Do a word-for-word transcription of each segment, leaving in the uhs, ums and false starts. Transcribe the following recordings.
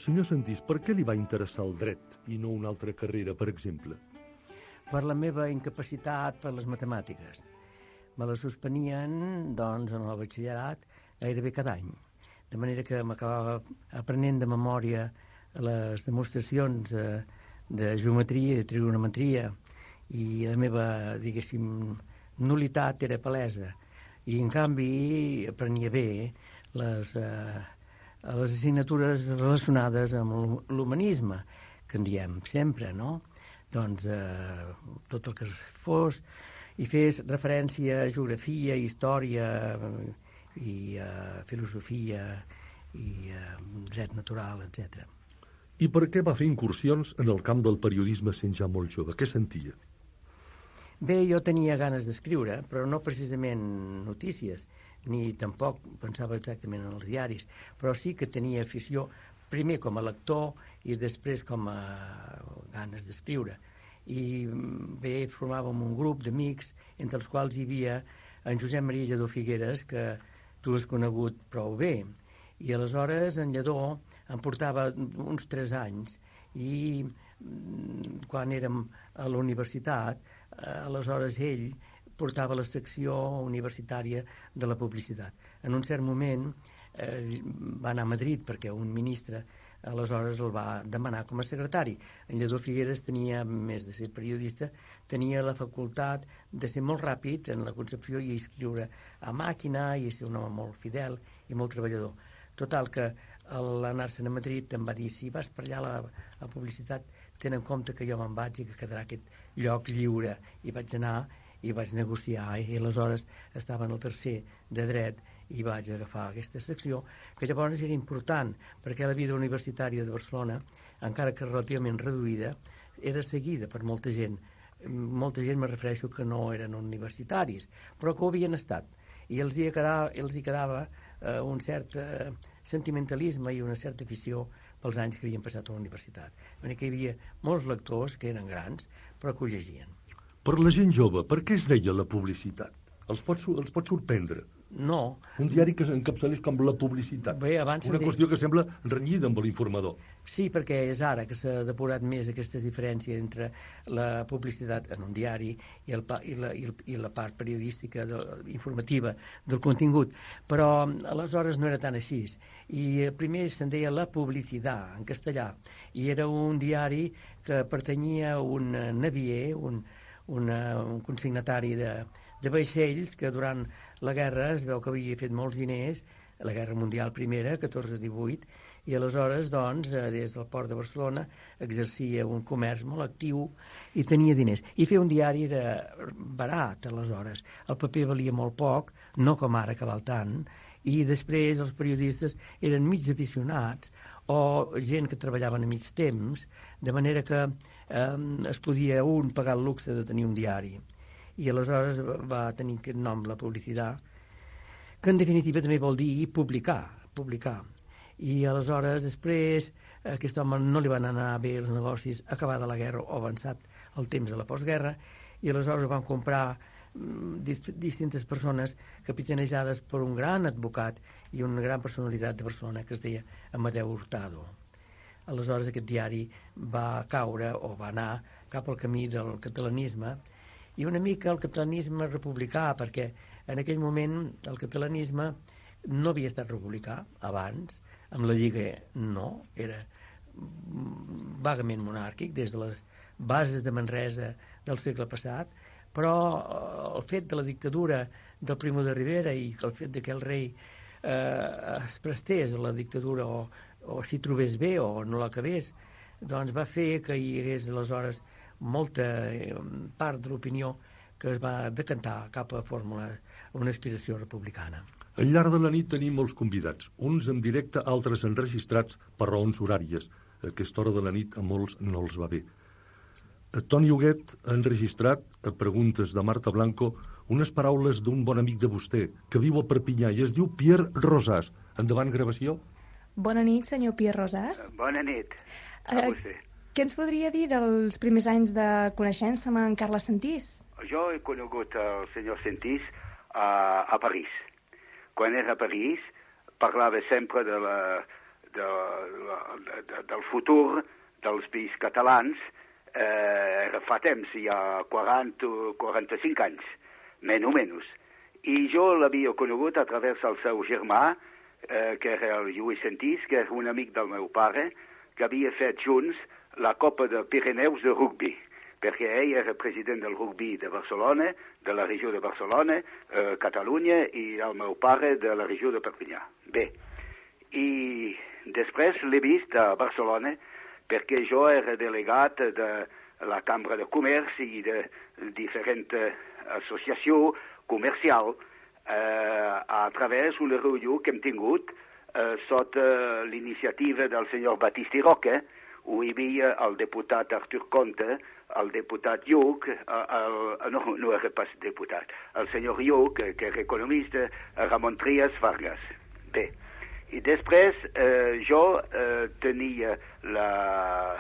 Senyor Sentís, per què li va interessar el dret i no una altra carrera, per exemple? Per la meva incapacitat per les matemàtiques. Me la suspenien, doncs, en el batxillerat gairebé cada any. De manera que m'acabava aprenent de memòria les demostracions eh, de geometria i de trigonometria, i la meva, diguéssim, nulitat era palesa. I, en canvi, aprenia bé les, eh, les assignatures relacionades amb l'humanisme, que en diem sempre, no? Doncs eh, tot el que fos, i fes referència a geografia, història i uh, filosofia i uh, dret natural, etcètera. I per què va fer incursions en el camp del periodisme sent ja molt jove? Què sentia? Bé, jo tenia ganes d'escriure, però no precisament notícies, ni tampoc pensava exactament en els diaris, però sí que tenia afició, primer com a lector i després com a ganes d'escriure. I bé, formàvem un grup d'amics, entre els quals hi havia en Josep Maria Lledó Figueres, que tu has conegut prou bé. I aleshores en Lledó em portava uns tres anys i quan érem a la universitat, aleshores ell portava la secció universitària de la publicitat. En un cert moment eh, va anar a Madrid perquè un ministre aleshores el va demanar com a secretari. En Lledó Figueres tenia, més de ser periodista, tenia la facultat de ser molt ràpid en la concepció i escriure a màquina i ser un home molt fidel i molt treballador. Total, que l'anar-se'n a Madrid em va dir: si vas per allà a la, a la publicitat, ten en compte que jo me'n vaig i que quedarà aquest lloc lliure. I vaig anar i vaig negociar, i aleshores estava en el tercer de dret i vaig agafar aquesta secció, que llavors era important, perquè la vida universitària de Barcelona, encara que relativament reduïda, era seguida per molta gent. Molta gent me refereixo que no eren universitaris, però que ho havien estat. I els hi quedava, els hi quedava eh, un cert eh, sentimentalisme i una certa afició pels anys que havien passat a la universitat. Perquè hi havia molts lectors que eren grans, però que ho llegien. Per la gent jove, per què es deia la publicitat? Els pot, els pot sorprendre? No. Un diari que s'encapçalés com la publicitat. Bé, abans una qüestió que sembla renyida amb l'informador. Sí, perquè és ara que s'ha depurat més aquestes diferències entre la publicitat en un diari i, el, i, la, i, el, i la part periodística de, informativa del contingut. Però aleshores no era tan així. I primer se'n deia La Publicidad, en castellà. I era un diari que pertanyia a un navier, un, una, un consignatari de de vaixells que durant la guerra es veu que havia fet molts diners, la guerra mundial primera, catorze divuit, i aleshores, doncs, des del port de Barcelona exercia un comerç molt actiu i tenia diners. I fer un diari era barat, aleshores. El paper valia molt poc, no com ara que val tant, i després els periodistes eren mig aficionats o gent que treballaven a mig temps, de manera que eh, es podia un pagar el luxe de tenir un diari. I aleshores va tenir aquest nom, La Publicitat, que en definitiva també vol dir publicar, publicar. I aleshores després a aquest home no li van anar bé els negocis acabada la guerra o avançat el temps de la postguerra, i aleshores van comprar dist distintes persones capitanejades per un gran advocat i una gran personalitat de Barcelona que es deia Amadeu Hurtado. Aleshores aquest diari va caure o va anar cap al camí del catalanisme, i una mica el catalanisme republicà, perquè en aquell moment el catalanisme no havia estat republicà abans, amb la Lliga no, era vagament monàrquic des de les bases de Manresa del segle passat, però el fet de la dictadura del Primo de Rivera i el fet que el rei eh, es prestés a la dictadura o, o s'hi trobés bé o no l'acabés, doncs va fer que hi hagués aleshores molta part de l'opinió que es va decantar cap a fórmula, una aspiració republicana. Al llarg de la nit tenim molts convidats, uns en directe, altres enregistrats per raons horàries. A aquesta hora de la nit a molts no els va bé. Toni Huguet ha enregistrat, a preguntes de Marta Blanco, unes paraules d'un bon amic de vostè, que viu a Perpinyà i es diu Pierre Rosàs. Endavant, gravació. Bona nit, senyor Pierre Rosàs. Bona nit a uh, vostè. Què ens podria dir dels primers anys de coneixença amb en Carles Sentís? Jo he conegut el senyor Sentís a, a París. Quan era a París parlava sempre de la, de, de, del futur dels països catalans eh, fa temps, hi ha quaranta o quaranta-cinc anys, menys o menys. I jo l'havia conegut a través del seu germà, eh, que era el Lluís Sentís, que era un amic del meu pare, que havia fet junts la Copa de Pirineus de rugby, perquè ell era president del rugby de Barcelona, de la regió de Barcelona, eh, Catalunya, i el meu pare de la regió de Perpinyà. Bé, i després l'he vist a Barcelona, perquè jo era delegat de la Cambra de Comerç i de diferents associacions comercials eh, a través d'una reunió que hem tingut eh, sota l'iniciativa del senyor Batista i Roca, on hi havia el diputat Artur Conte, el diputat Lluc, el, no, no era pas diputat, el senyor Lluc, que era economista, Ramon Trias Vargas. Bé, i després eh, jo eh, tenia la,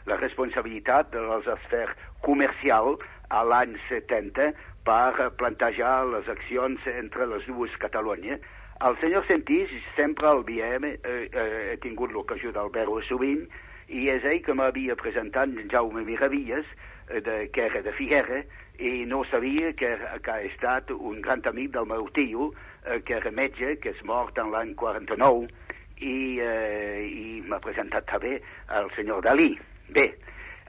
la responsabilitat de les afers comercials a l'any setanta per plantejar les accions entre les dues Catalunya. El senyor Sentís sempre el veiem, eh, eh, he tingut l'ocasió del veure sovint, i és ell que m'havia presentat Jaume Miravilles, eh, de, que era de Figuera, i no sabia que, que ha estat un gran amic del meu tio, eh, que era metge, que és mort en l'any quaranta-nou, i, eh, i m'ha presentat també el senyor Dalí. Bé,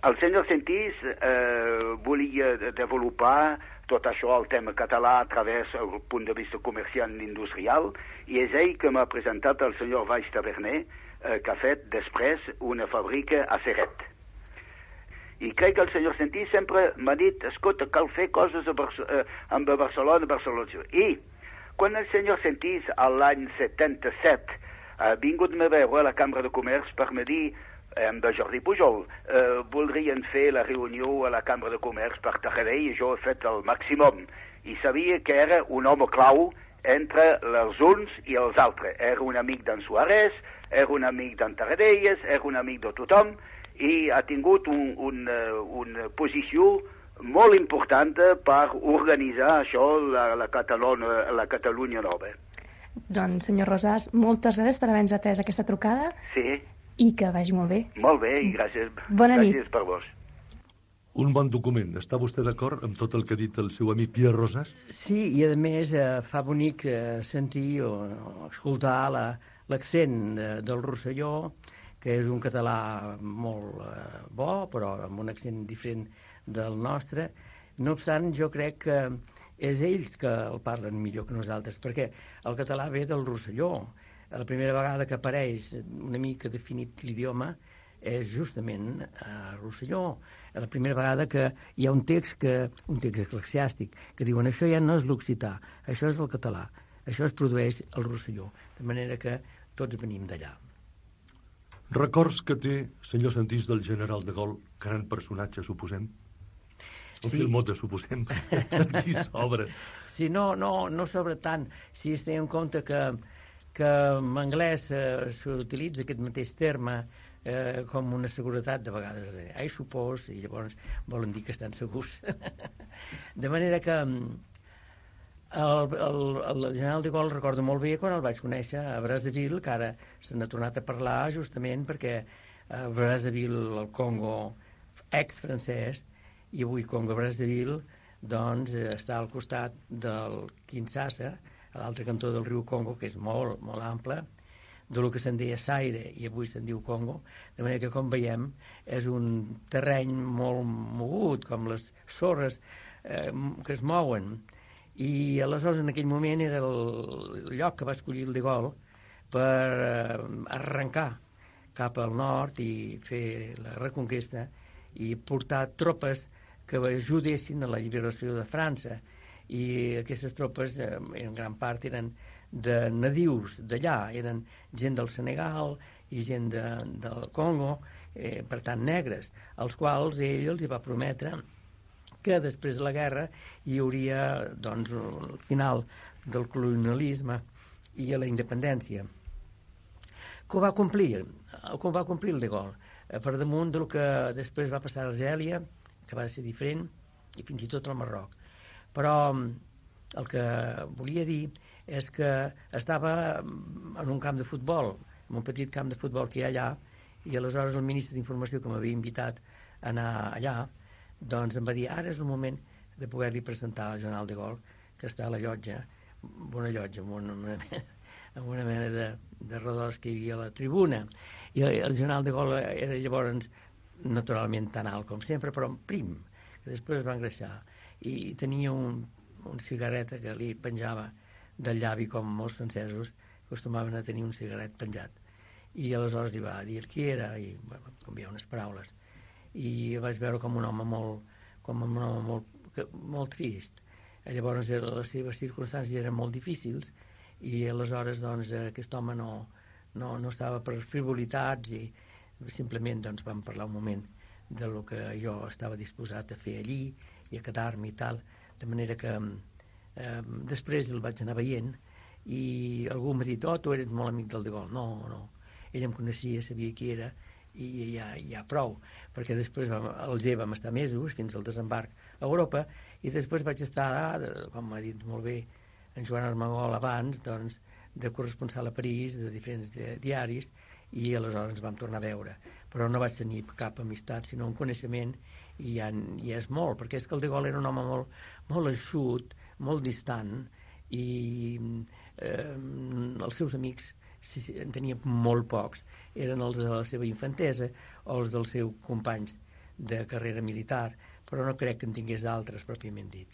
el senyor Sentís eh, volia desenvolupar tot això, el tema català, a través del punt de vista comercial i industrial, i és ell que m'ha presentat el senyor Valls Taverner, eh, que ha fet després una fàbrica a Ceret. I crec que el senyor Sentís sempre m'ha dit, escolta, cal fer coses a Barce eh, amb Barcelona, Barcelona. I quan el senyor Sentís, a l'any setanta-set, ha vingut a veure a la Cambra de Comerç per me dir, amb Jordi Pujol, eh, voldrien fer la reunió a la Cambra de Comerç per Taradell, i jo he fet el màximum. I sabia que era un home clau entre els uns i els altres. Era un amic d'en Suárez, era un amic d'en Taradelles, era un amic de tothom, i ha tingut un, un, una posició molt important per organitzar això, la, la, Catalunya, la Catalunya nova. Doncs, senyor Rosàs, moltes gràcies per haver-nos atès aquesta trucada. Sí. I que vagi molt bé. Molt bé, i gràcies, Bona gràcies nit. per vos. Un bon document. Està vostè d'acord amb tot el que ha dit el seu amic Pierre Rosàs? Sí, i a més eh, fa bonic eh, sentir o, o escoltar l'accent la, de, del Rosselló, que és un català molt eh, bo, però amb un accent diferent del nostre. No obstant, jo crec que és ells que el parlen millor que nosaltres, perquè el català ve del Rosselló. La primera vegada que apareix una mica definit l'idioma és justament a Rosselló. La primera vegada que hi ha un text, que, un text eclesiàstic, que diuen això ja no és l'occità, això és el català, això es produeix al Rosselló, de manera que tots venim d'allà. Records que té, senyor Sentís, del general de Gaulle, gran personatge, suposem? Un sí. Filmot de suposem, aquí s'obre. Sí, no, no, no sobre tant, si es té en compte que que en anglès eh, s'utilitza aquest mateix terme eh, com una seguretat de vegades. Eh, I suppose, i llavors volen dir que estan segurs. De manera que el, el, el general de Gaulle recordo molt bé quan el vaig conèixer a Brazzaville, que ara se n'ha tornat a parlar justament perquè a Brazzaville, el Congo ex-francès, i avui Congo-Brazzaville, doncs està al costat del Kinshasa, a l'altre cantó del riu Congo, que és molt, molt ample, de lo que se'n deia Zaire, i avui se'n diu Congo, de manera que, com veiem, és un terreny molt mogut, com les sorres eh, que es mouen. I aleshores, en aquell moment, era el lloc que va escollir el de Gaulle per eh, arrencar cap al nord i fer la reconquesta i portar tropes que ajudessin a la lliberació de França. I aquestes tropes eh, en gran part eren de nadius d'allà, eren gent del Senegal i gent de, del Congo, eh, per tant negres, als quals ell els hi va prometre que després de la guerra hi hauria doncs, el final del colonialisme i la independència. Que ho va complir, que ho va complir el de Gaulle, eh, per damunt del que després va passar a Argèlia, que va ser diferent, i fins i tot al Marroc. Però el que volia dir és que estava en un camp de futbol en un petit camp de futbol que hi ha allà, i aleshores el ministre d'Informació, que m'havia invitat a anar allà, doncs em va dir, ara és el moment de poder-li presentar al general de Gaulle, que està a la llotja, una llotja, amb una, una, amb una mena de, de redors que hi havia a la tribuna. I el, el general de Gaulle era llavors naturalment tan alt com sempre, però prim, que després es va engreixar. I tenia un, un cigarret que li penjava del llavi, com molts francesos acostumaven a tenir un cigarret penjat. I aleshores li va dir qui era, i va canviar unes paraules. I el vaig veure com un home molt, com un home molt, molt trist. Llavors les seves circumstàncies eren molt difícils i aleshores doncs, aquest home no, no, no estava per frivolitats i simplement doncs, vam parlar un moment de lo que jo estava disposat a fer allí i a quedar-me i tal, de manera que eh, després el vaig anar veient i algú m'ha dit, oh, tu eres molt amic del de Gaulle. No, no, ell em coneixia, sabia qui era i ja, ja prou, perquè després vam, al G vam estar mesos fins al desembarc a Europa i després vaig estar, com m'ha dit molt bé en Joan Armengol abans, doncs, de corresponsal a París, de diferents de, diaris, i aleshores ens vam tornar a veure. Però no vaig tenir cap amistat, sinó un coneixement, i ja, ja és molt, perquè és que el de Gaulle era un home molt, molt eixut, molt distant, i eh, els seus amics si en tenia molt pocs, eren els de la seva infantesa o els dels seus companys de carrera militar, però no crec que en tingués d'altres pròpiament dits.